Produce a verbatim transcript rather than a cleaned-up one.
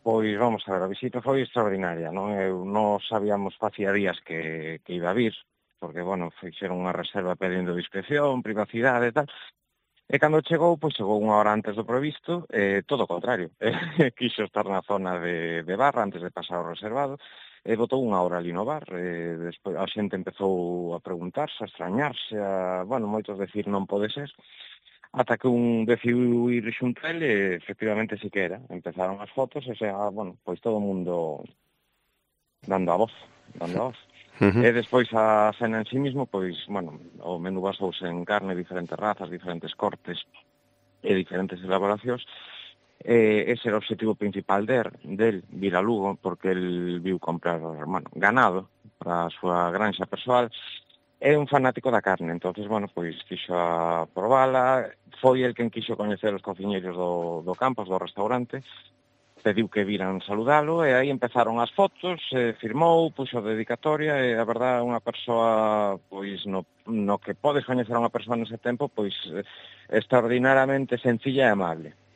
Pois vamos a ver, a visita foi extraordinaria, non? Eu non sabíamos facía días que, que iba a vir, porque, bueno, fixeron unha reserva pedindo discreción, privacidade e tal, e cando chegou, pois chegou unha hora antes do previsto, e todo o contrario, quixo estar na zona de, de barra antes de pasar ao reservado, e botou unha hora ali no bar, e despois a xente empezou a preguntarse, a extrañarse, a, bueno, moitos decir non pode ser, ata que un decidiu ir xunto a ele e efectivamente si que era. Empezaron as fotos e xa, bueno, pois todo o mundo dando a voz, dando a voz. Uh-huh. E despois a cena en sí mismo, pois, bueno, o menú basouse en carne, diferentes razas, diferentes cortes e diferentes elaboracións. E ese era o objetivo principal der, del vir a Lugo, porque el viu comprar, bueno, ganado para a súa granxa persoal. É un fanático da carne, entonces, bueno, pois quixo a probala, foi el quen quixo coñecer os cociñeiros do, do Campos, do restaurante, pediu que viran saludalo, e aí empezaron as fotos, eh, firmou, puxo a dedicatoria, e a verdad, unha persoa, pois, no, no que podes coñecer a unha persoa nese tempo, pois, extraordinariamente sencilla e amable.